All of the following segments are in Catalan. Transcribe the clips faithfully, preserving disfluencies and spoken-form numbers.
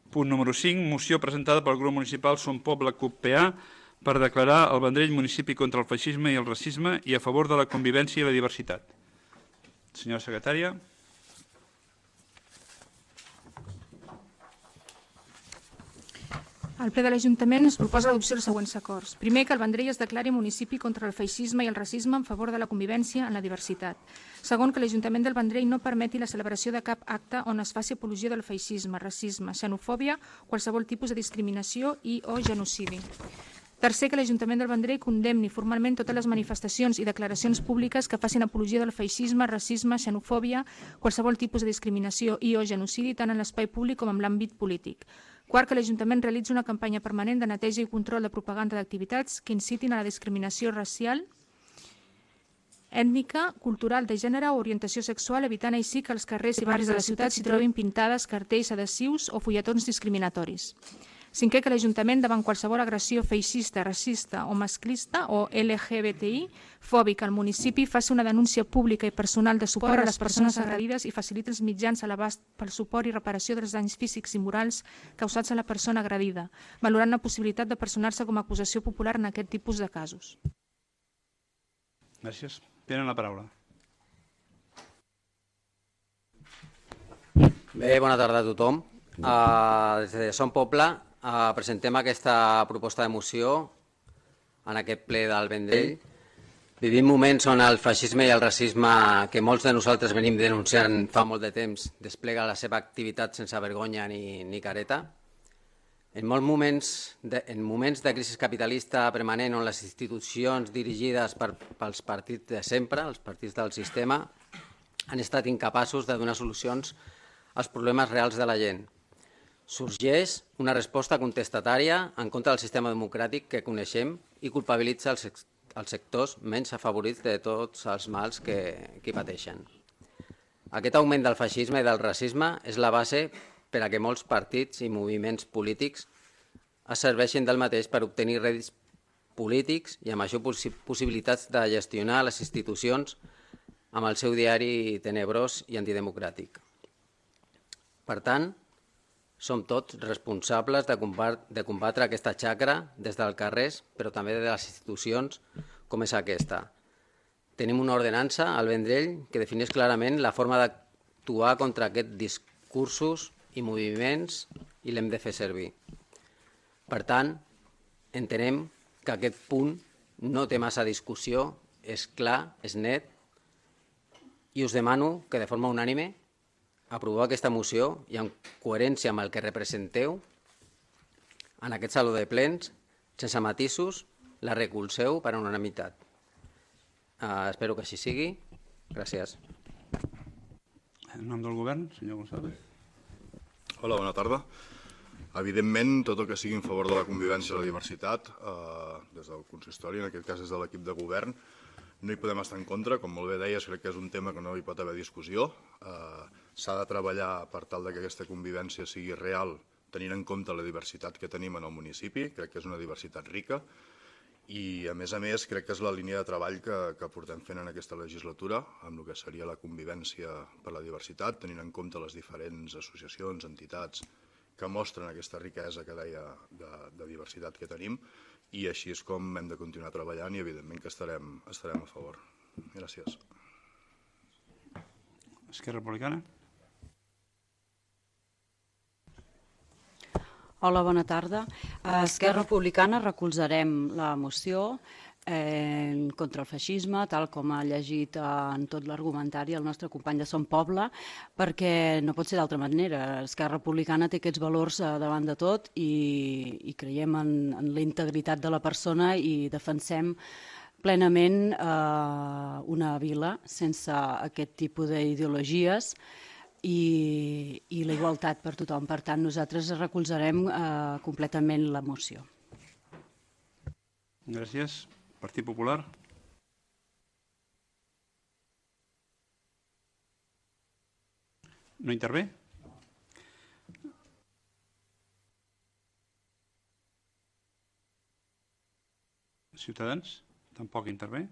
Punt número cinc, moció presentada pel grup municipal Som Poble C U P P A per declarar el Vendrell municipi contra el feixisme i el racisme i a favor de la convivència i la diversitat. Senyora secretària. Al ple de l'Ajuntament es proposa l'adopció dels següents acords. Primer, que el Vendrell es declari municipi contra el feixisme i el racisme en favor de la convivència en la diversitat. Segon, que l'Ajuntament del Vendrell no permeti la celebració de cap acte on es faci apologia del feixisme, racisme, xenofòbia, qualsevol tipus de discriminació i o genocidi. Tercer, que l'Ajuntament del Vendrell condemni formalment totes les manifestacions i declaracions públiques que facin apologia del feixisme, racisme, xenofòbia, qualsevol tipus de discriminació i o genocidi tant en l'espai públic com en l'àmbit polític. Quart, que l'Ajuntament realitzi una campanya permanent de neteja i control de propaganda d'activitats que incitin a la discriminació racial, ètnica, cultural, de gènere o orientació sexual, evitant així que als carrers i barris de la ciutat s'hi trobin pintades, cartells adhesius o fulletons discriminatoris. Cinquè, que l'Ajuntament, davant qualsevol agressió feixista, racista o masclista o L G B T I fòbica al municipi, faci una denúncia pública i personal de suport a les persones agredides i faciliti els mitjans a l'abast pel suport i reparació dels danys físics i morals causats a la persona agredida, valorant la possibilitat de personar-se com a acusació popular en aquest tipus de casos. Gràcies. Tenen la paraula. Bé, bona tarda a tothom. Uh, des de Som Poble uh, presentem aquesta proposta de moció en aquest ple del Vendrell. Vivim moments on el feixisme i el racisme que molts de nosaltres venim denunciant fa molt de temps desplega la seva activitat sense vergonya ni, ni careta. En molts moments de, en moments de crisi capitalista permanent on les institucions dirigides per, pels partits de sempre, els partits del sistema, han estat incapaços de donar solucions als problemes reals de la gent. Sorgeix una resposta contestatària en contra del sistema democràtic que coneixem i culpabilitza els, els sectors menys afavorits de tots els mals que, que pateixen. Aquest augment del feixisme i del racisme és la base per a que molts partits i moviments polítics es serveixin del mateix per obtenir rèdits polítics i amb això possi possibilitats de gestionar les institucions amb el seu diari tenebrós i antidemocràtic. Per tant, som tots responsables de combatre, de combatre aquesta xacra des dels carrers, però també de les institucions com és aquesta. Tenim una ordenança al Vendrell que defineix clarament la forma d'actuar contra aquests discursos i moviments i l'hem de fer servir. Per tant, entenem que aquest punt no té massa discussió, és clar, és net, i us demano que de forma unànime aproveu aquesta moció i en coherència amb el que representeu en aquest saló de plens, sense matisos, la recolzeu per unanimitat. Uh, espero que així sigui. Gràcies. En nom del govern, senyor González. Hola, bona tarda. Evidentment, tot el que sigui en favor de la convivència i la diversitat, eh, des del consistori, en aquest cas des de l'equip de govern, no hi podem estar en contra. Com molt bé deies, crec que és un tema que no hi pot haver discussió. Eh, S'ha de treballar per tal que aquesta convivència sigui real, tenint en compte la diversitat que tenim en el municipi. Crec que és una diversitat rica i, a més a més, crec que és la línia de treball que, que portem fent en aquesta legislatura amb el que seria la convivència per la diversitat, tenint en compte les diferents associacions, entitats que mostren aquesta riquesa que deia de, de diversitat que tenim, i així és com hem de continuar treballant i, evidentment, que estarem, estarem a favor. Gràcies. Esquerra Republicana. Hola, bona tarda. A Esquerra Republicana recolzarem la moció eh, contra el feixisme, tal com ha llegit eh, en tot l'argumentari el nostre company de Som Poble, perquè no pot ser d'altra manera. Esquerra Republicana té aquests valors eh, davant de tot i, i creiem en, en la integritat de la persona i defensem plenament eh, una vila sense aquest tipus d'ideologies i, i la igualtat per tothom. Per tant, nosaltres recolzarem eh, completament la moció. Gràcies. Partit Popular. No intervé? Ciutadans? Tampoc intervé?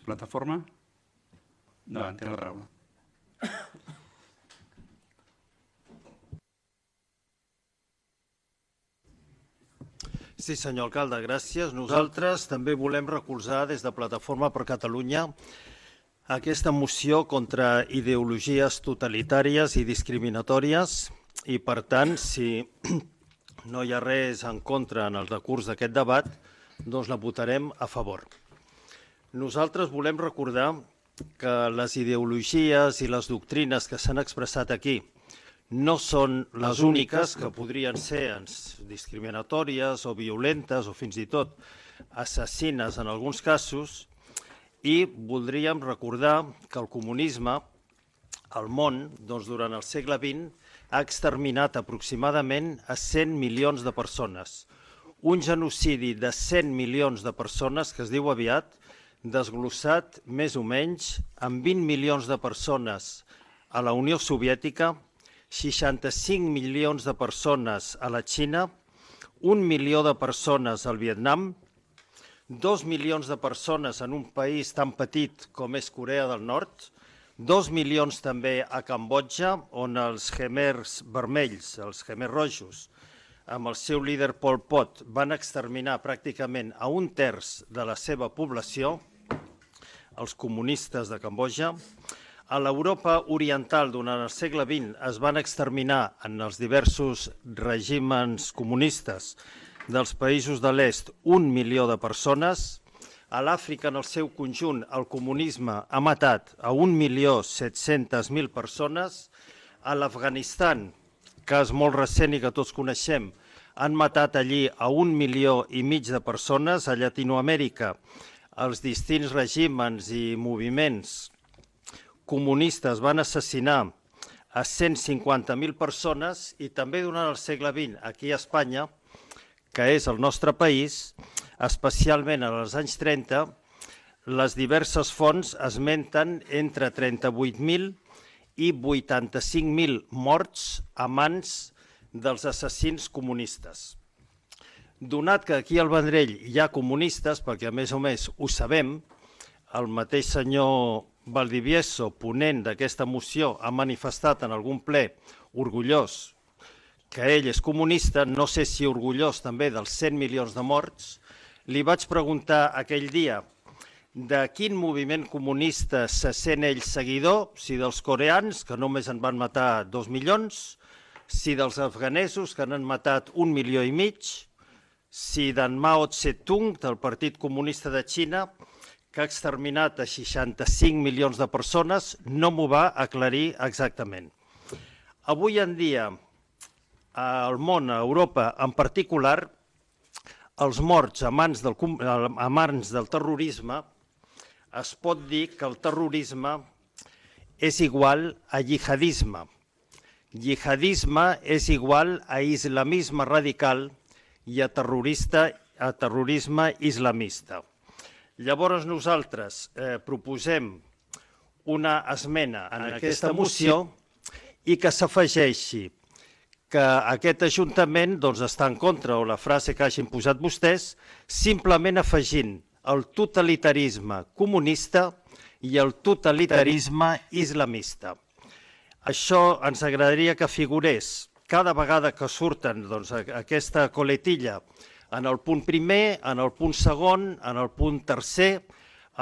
Plataforma? No, té la paraula. Sí, senyor alcalde, gràcies. Nosaltres també volem recolzar des de Plataforma per Catalunya aquesta moció contra ideologies totalitàries i discriminatòries i, per tant, si no hi ha res en contra en el decurs d'aquest debat, doncs la votarem a favor. Nosaltres volem recordar que les ideologies i les doctrines que s'han expressat aquí no són les úniques que podrien ser discriminatòries o violentes o fins i tot assassines en alguns casos, i voldríem recordar que el comunisme al món durant el segle vint ha exterminat aproximadament a cent milions de persones. Un genocidi de cent milions de persones que es diu aviat, desglossat més o menys amb vint milions de persones a la Unió Soviètica, seixanta-cinc milions de persones a la Xina, un milió de persones al Vietnam, dos milions de persones en un país tan petit com és Corea del Nord, dos milions també a Cambodja, on els khmers vermells, els khmers rojos, amb el seu líder Pol Pot, van exterminar pràcticament a un terç de la seva població, els comunistes de Cambodja. A l'Europa oriental, durant el segle vint, es van exterminar en els diversos règims comunistes dels països de l'est un milió de persones. A l'Àfrica, en el seu conjunt, el comunisme ha matat a un milió set-centes mil persones. A l'Afganistan, cas molt recent i que tots coneixem, han matat allí a un milió i mig de persones. A Llatinoamèrica, els distints règims i moviments comunistes van assassinar a cent cinquanta mil persones, i també durant el segle vint, aquí a Espanya, que és el nostre país, especialment als anys trenta, les diverses fonts esmenten entre trenta-vuit mil i vuitanta-cinc mil morts a mans dels assassins comunistes. Donat que aquí al Vendrell hi ha comunistes, perquè a més o més ho sabem, el mateix senyor Valdivieso, ponent d'aquesta moció, ha manifestat en algun ple orgullós que ell és comunista, no sé si orgullós també dels cent milions de morts. Li vaig preguntar aquell dia de quin moviment comunista se sent ell seguidor, si dels coreans, que només en van matar dos milions, si dels afganesos, que n'han matat un milió i mig, si d'en Mao Tse-tung, del Partit Comunista de Xina, que ha exterminat a seixanta-cinc milions de persones, no m'ho va aclarir exactament. Avui en dia, al món, a Europa en particular, els morts a mans del, a mans del terrorisme, es pot dir que el terrorisme és igual a jihadisme. Jihadisme és igual a islamisme radical i a, terrorista, a terrorisme islamista. Llavors nosaltres eh, proposem una esmena en aquesta moció i que s'afegeixi que aquest Ajuntament doncs, està en contra, o la frase que hagin posat vostès, simplement afegint el totalitarisme comunista i el totalitarisme islamista. Això ens agradaria que figurés cada vegada que surten doncs, aquesta coletilla en el punt primer, en el punt segon, en el punt tercer,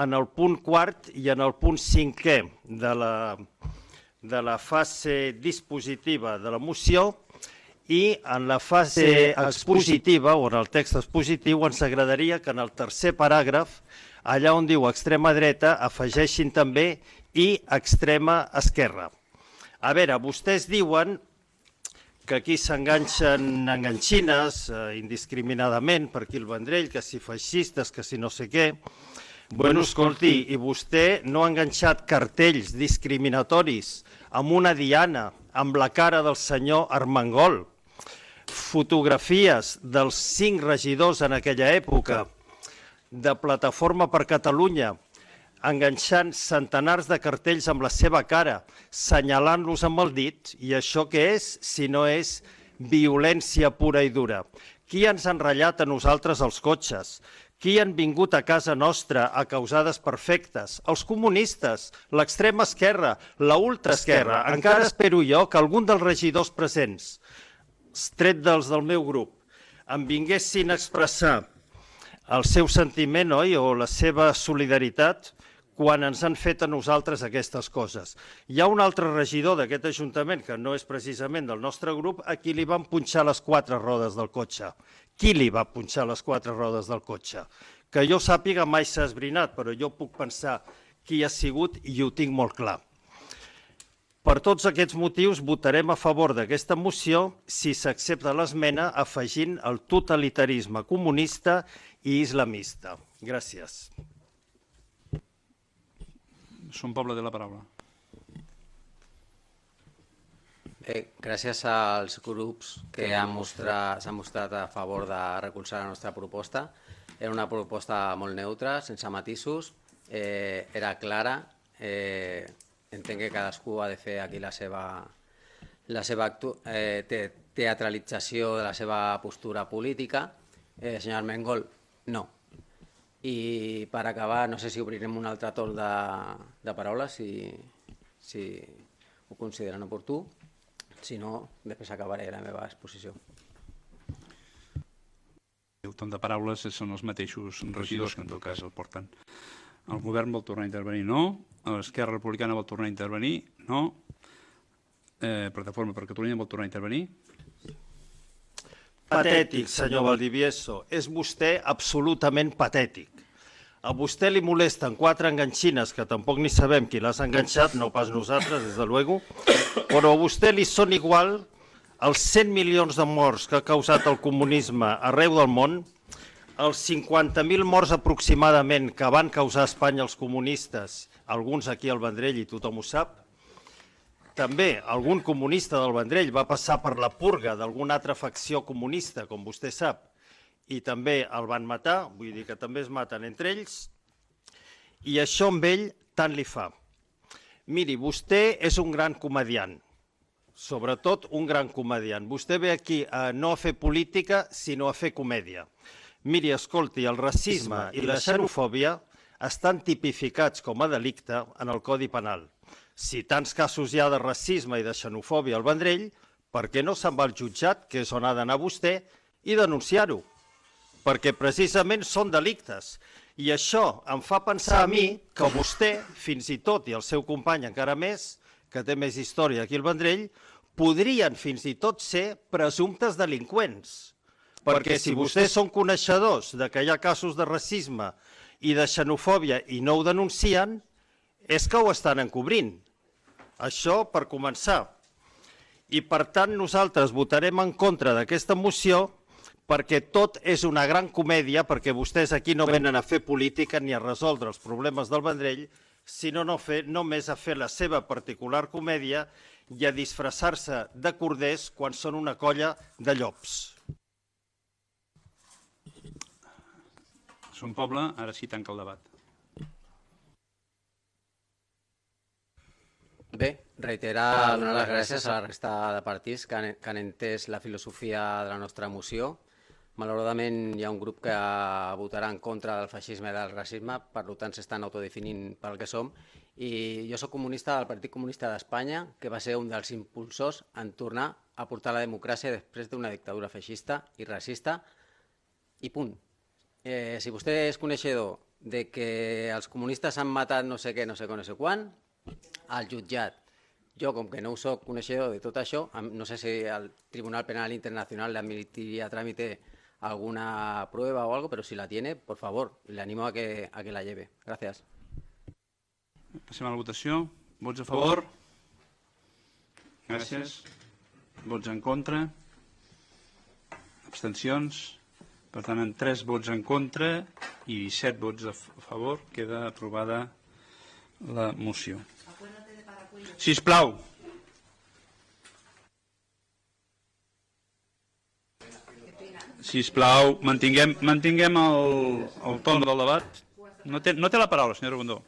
en el punt quart i en el punt cinquè de la, de la fase dispositiva de la moció, i en la fase expositiva, o en el text expositiu, ens agradaria que en el tercer paràgraf, allà on diu extrema dreta, afegeixin també i extrema esquerra. A veure, vostès diuen que aquí s'enganxen enganxines eh, indiscriminadament per aquí el Vendrell, que si feixistes, que si no sé què. Bueno, escolti, i vostè no ha enganxat cartells discriminatoris amb una diana, amb la cara del senyor Armengol, fotografies dels cinc regidors en aquella època de Plataforma per Catalunya, enganxant centenars de cartells amb la seva cara, senyalant-los amb el dit, i això què és, si no és violència pura i dura? Qui ens ha enratllat a nosaltres els cotxes? Qui han vingut a casa nostra a causar desperfectes? Els comunistes, l'extrema esquerra, la ultraesquerra. Encara espero jo que algun dels regidors presents, tret dels del meu grup, em vinguessin a expressar el seu sentiment, oi, o la seva solidaritat quan ens han fet a nosaltres aquestes coses. Hi ha un altre regidor d'aquest Ajuntament, que no és precisament del nostre grup, a qui li van punxar les quatre rodes del cotxe. Qui li va punxar les quatre rodes del cotxe? Que jo sàpiga mai s'ha esbrinat, però jo puc pensar qui ha sigut i ho tinc molt clar. Per tots aquests motius votarem a favor d'aquesta moció si s'accepta l'esmena afegint el totalitarisme comunista i islamista. Gràcies. Son Poble té la paraula. Bé, gràcies als grups que s'han mostrat, mostrat a favor de recolzar la nostra proposta. Era una proposta molt neutra, sense matisos, eh, era clara. Eh, entenc que cadascú ha de fer aquí la seva, la seva eh, te, teatralització de la seva postura política. Eh, senyor Armengol, no. I per acabar, no sé si obrirem un altre torn de, de paraules, si, si ho consideren oportú. Si no, després acabaré la meva exposició. El torn de paraules són els mateixos regidors que en tot cas el porten. El govern vol tornar a intervenir? No. L'Esquerra Republicana vol tornar a intervenir? No. Eh, Plataforma per Catalunya vol tornar a intervenir? Patètic, senyor Valdivieso. És vostè absolutament patètic. A vostè li molesten quatre enganxines, que tampoc ni sabem qui les ha enganxat, no pas nosaltres, des de luego, però a vostè li són igual els cent milions de morts que ha causat el comunisme arreu del món, els cinquanta mil morts aproximadament que van causar a Espanya els comunistes, alguns aquí al Vendrell i tothom ho sap. També algun comunista del Vendrell va passar per la purga d'alguna altra facció comunista, com vostè sap, i també el van matar, vull dir que també es maten entre ells, i això amb ell tant li fa. Miri, vostè és un gran comediant, sobretot un gran comediant. Vostè ve aquí a no a fer política, sinó a fer comèdia. Miri, escolti, el racisme i la xenofòbia estan tipificats com a delicte en el Codi Penal. Si tants casos hi ha de racisme i de xenofòbia al Vendrell, per què no se'n va al jutjat, que és on ha d'anar vostè, i denunciar-ho? Perquè precisament són delictes. I això em fa pensar a mi que vostè, fins i tot, i el seu company encara més, que té més història aquí al Vendrell, podrien fins i tot ser presumptes delinqüents. Perquè si vostès són coneixedors de que hi ha casos de racisme i de xenofòbia i no ho denuncien, és que ho estan encobrint. Això per començar. I per tant nosaltres votarem en contra d'aquesta moció perquè tot és una gran comèdia, perquè vostès aquí no venen a fer política ni a resoldre els problemes del Vendrell, sinó no fer, només a fer la seva particular comèdia i a disfressar-se de corders quan són una colla de llops. Son Poble, ara sí tanca el debat. Bé, reiterar, donar les gràcies a la resta de partits que han, que han entès la filosofia de la nostra moció. Malauradament hi ha un grup que votarà en contra del feixisme i del racisme, per tant s'estan autodefinint pel que som. I jo soc comunista del Partit Comunista d'Espanya, que va ser un dels impulsors en tornar a portar la democràcia després d'una dictadura feixista i racista, i punt. Eh, si vostè és coneixedor de que els comunistes han matat no sé què, no sé què, no sé quan, al jutjat. Jo, com que no soc coneixedor de tot això, no sé si el Tribunal Penal Internacional le admitiría a trámite alguna prueba o algo, pero si la tiene, por favor, le animo a que, a que la lleve. Gracias. Passem a la votació. Vots a favor? Gràcies. Vots en contra? Abstencions? Per tant, amb tres vots en contra i set vots a favor, queda aprovada la moció. Sisplau. Sisplau, mantinguem, mantinguem el, el torn del debat. No té, no té la paraula, senyor Rondó.